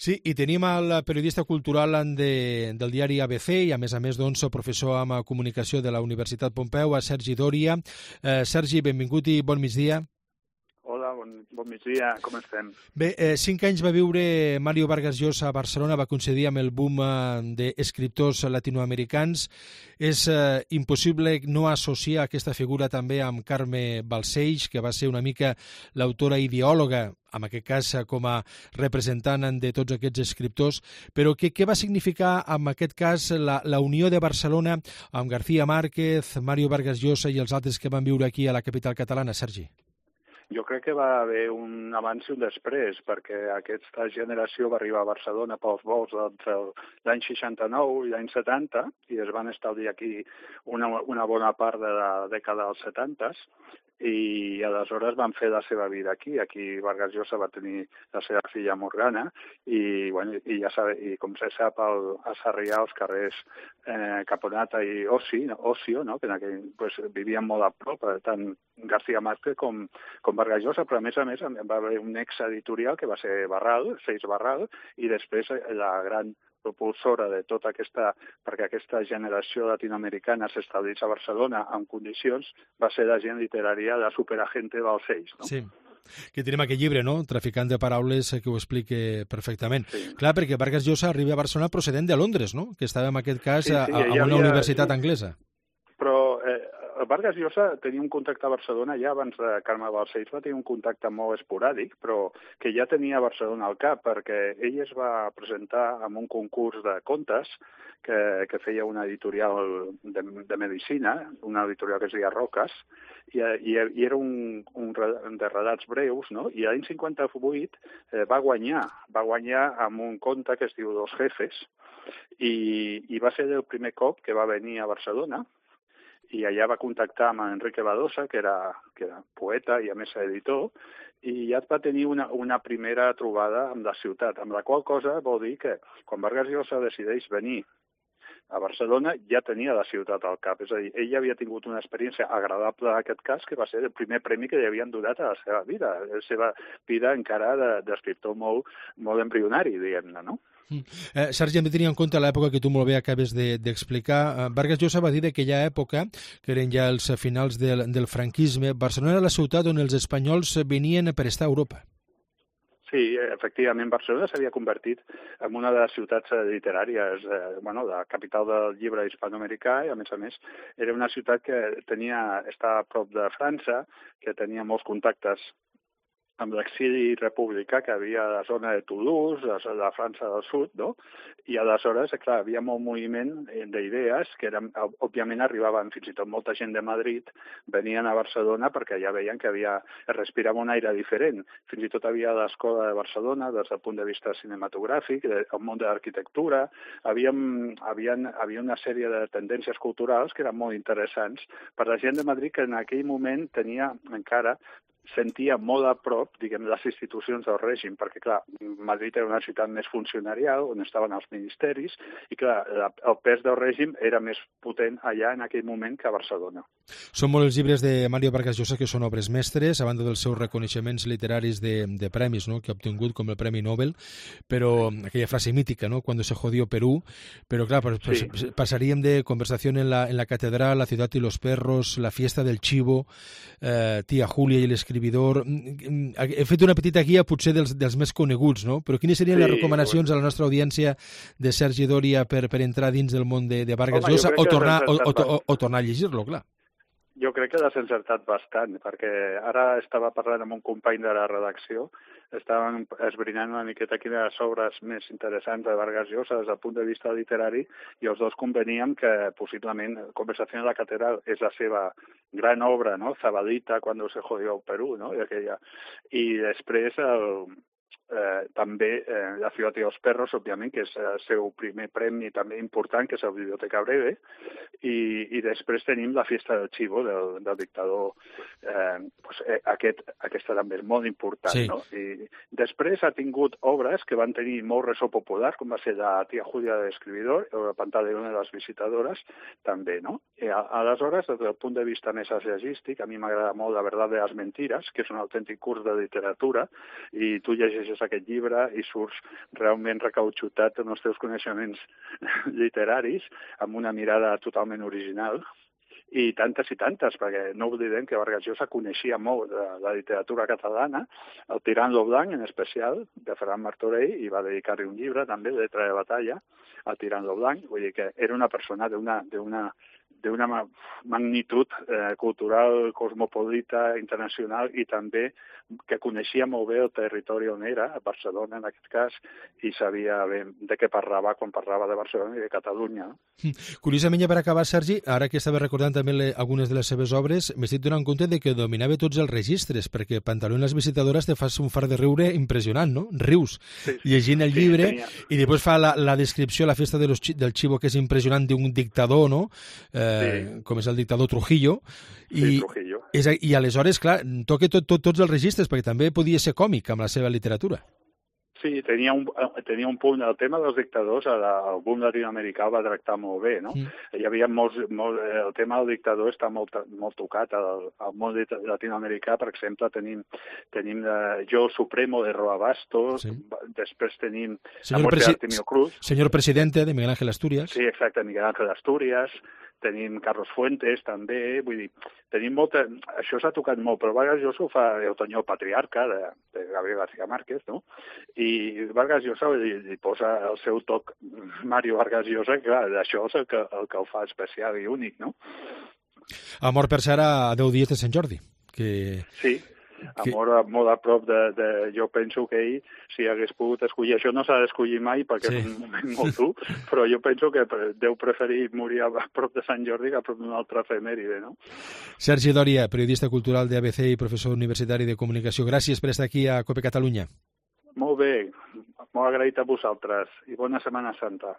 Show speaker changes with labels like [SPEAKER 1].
[SPEAKER 1] Sí, i tenim el periodista cultural del diari ABC i, a més, doncs, professor en comunicació de la Universitat Pompeu, Sergi Dòria. Sergi, benvingut i bon migdia.
[SPEAKER 2] Hola, bon migdia, com estem?
[SPEAKER 1] Bé, 5 anys va viure Mario Vargas Llosa a Barcelona, va coincidir amb el boom d'escriptors latinoamericans. És impossible no associar aquesta figura també amb Carme Balcells, que va ser una mica l'autora ideòloga, en aquest cas com a representant de tots aquests escriptors, però què va significar en aquest cas la unió de Barcelona amb García Márquez, Mario Vargas Llosa i els altres que van viure aquí a la capital catalana, Sergi?
[SPEAKER 2] Jo crec que va haver un abans i un després, perquè aquesta generació va arribar a Barcelona pels vols entre l'any 69 i l'any 70, i es van establir aquí una bona part de la dècada dels 70s, i aleshores van fer la seva vida aquí. Aquí Vargas Llosa va tenir la seva filla Morgana i com se sap a Sarrià, als carrers Caponata i Ocio, no? Que vivien molt a prop, tant García Márquez com Vargas Llosa, però a més va haver un ex-editorial que va ser Seix Barral, i després la gran propulsora de tota perquè aquesta generació latinoamericana s'establís a Barcelona en condicions, va ser la gent literària de Superagente Balcells, no?
[SPEAKER 1] Sí, que tenim aquest llibre, no?, Traficant de paraules, que ho explica perfectament.
[SPEAKER 2] Sí.
[SPEAKER 1] Clar, perquè Vargas Llosa arriba a Barcelona procedent de Londres, no?, que estava en aquest cas a una universitat anglesa.
[SPEAKER 2] Però Vargas Llosa tenia un contacte a Barcelona ja abans de Carme Balcells, va tenir un contacte molt esporàdic, però que ja tenia Barcelona al cap, perquè ell es va presentar en un concurs de contes que feia una editorial de medicina, una editorial que es deia Roques, i era un de relats breus, no? I l'any 58 va guanyar amb un conte que es diu Dos jefes, i va ser el primer cop que va venir a Barcelona, i allà va contactar amb Enrique Badosa, que era poeta i a més editor, i ja va tenir una primera trobada amb la ciutat, amb la qual cosa vol dir que quan Vargas Llosa decideix venir a Barcelona ja tenia la ciutat al cap, és a dir, ell ja havia tingut una experiència agradable en aquest cas, que va ser el primer premi que li havien donat a la seva vida, encara d'escriptor molt embrionari, diguem-ne, no?
[SPEAKER 1] Sergi, hem de tenir en compte l'època que tu molt bé acabes d'explicar. Vargas Llosa va dir que aquella època, que eren ja els finals del franquisme, Barcelona era la ciutat on els espanyols venien per estar a Europa.
[SPEAKER 2] Sí, efectivament, Barcelona s'havia convertit en una de les ciutats literàries, la capital del llibre hispanoamericà, i a més era una ciutat que estava a prop de França, que tenia molts contactes amb l'exili republicà que havia a la zona de Toulouse, a la França del Sud, no? I aleshores, clar, havia molt moviment d'idees que òbviament arribaven fins i tot molta gent de Madrid, venien a Barcelona perquè ja veien que es respirava un aire diferent. Fins i tot havia l'Escola de Barcelona, des del punt de vista cinematogràfic, el món de l'arquitectura, havia una sèrie de tendències culturals que eren molt interessants per la gent de Madrid, que en aquell moment sentia molt a prop, les institucions del règim, perquè, clar, Madrid era una ciutat més funcionarial, on estaven els ministeris, i, clar, el pes del règim era més potent allà en aquell moment que a Barcelona.
[SPEAKER 1] Són molts els llibres de Mario Vargas Llosa que són obres mestres, a banda dels seus reconeixements literaris de premis, no?, que ha obtingut, com el Premi Nobel, però aquella frase mítica, no?, cuando se jodió Perú, però, clar, passaríem de Conversación en la catedral, La ciudad y los perros, La fiesta del chivo, Tía Julia i l'escriptor. He fet una petita guia potser dels més coneguts, no? Però quines serien les recomanacions a la nostra audiència de Sergi Dòria per entrar dins del món de Vargas Llosa o tornar a llegir-lo, clar?
[SPEAKER 2] Jo crec que l'has encertat bastant, perquè ara estava parlant amb un company de la redacció, estàvem esbrinant una miqueta quines obres més interessants de Vargas Llosa des del punt de vista literari, i els dos conveníem que possiblement Conversación en la catedral és la seva gran obra, no? Zabadita, Cuando se jodió Perú, no? I després també La ciudad y los perros, òbviament, que és el seu primer premi també important, que és la Biblioteca Breve, i després tenim La fiesta del chivo, del dictador, aquesta també és molt important, sí. No? I després ha tingut obres que van tenir molt ressò popular, com va ser La tía Julia de l'escriptor, o La pantaleona de les visitadores, també, no? I aleshores, des del punt de vista més assagístic, a mi m'agrada molt La verdad de las mentiras, que és un autèntic curs de literatura, i tu llegeixes llegeixes aquest llibre i surts realment recautxutat en els teus coneixements literaris, amb una mirada totalment original, i tantes, perquè no oblidem que Vargas Llosa coneixia molt de la literatura catalana, el Tirant lo Blanc, en especial, de Ferran Martorell, i va dedicar-hi un llibre, també, de Letra de batalla, al Tirant lo Blanc, vull dir que era una persona d'una magnitud cultural, cosmopolita, internacional, i també que coneixia molt bé el territori on era, a Barcelona en aquest cas, i sabia bé de què parlava quan parlava de Barcelona i de Catalunya.
[SPEAKER 1] Curiosament, ja per acabar, Sergi, ara que estava recordant també algunes de les seves obres, m'estic donant compte de que dominava tots els registres, perquè Pantaló en les visitadores te fas un far de riure impressionant, no? Rius, llegint el llibre, i després fa la descripció, la festa del Chivo, que és impressionant, d'un dictador, no? Com és el dictador Trujillo, i aleshores, clar, toca tots els registres, perquè també podia ser còmic amb la seva literatura.
[SPEAKER 2] Sí, tenia un punt. El tema dels dictadors, el boom latinoamericà el va tractar molt bé, no? Hi havia el tema del dictador està molt tocat al món latinoamericà. Per exemple, tenim Yo Supremo de Roa Bastos, després tenim La muerte de Artemio Cruz.
[SPEAKER 1] Señor Presidente, de Miguel Ángel Asturias.
[SPEAKER 2] Sí, exacte, Miguel Ángel Asturias. Tenim Carlos Fuentes, també, vull dir, tenim molta... Això s'ha tocat molt, però Vargas Llosa ho fa Otoño Patriarca, de Gabriel García Márquez, no? I Vargas Llosa li posa el seu toc Mario Vargas Llosa, que clar, això és el que el fa especial i únic, no?
[SPEAKER 1] Amor per ser a 10 dies de Sant Jordi.
[SPEAKER 2] Sí. Amor molt a prop de... Jo penso que ell, si hagués pogut escollir... Això no s'ha d'escollir mai perquè és un moment molt dur, però jo penso que deu preferir morir a prop de Sant Jordi que a prop d'una altra efemèride, no?
[SPEAKER 1] Sergi Dòria, periodista cultural de ABC i professor universitari de comunicació. Gràcies per estar aquí a COPE Catalunya.
[SPEAKER 2] Molt bé, molt agraït a vosaltres i bona Setmana Santa.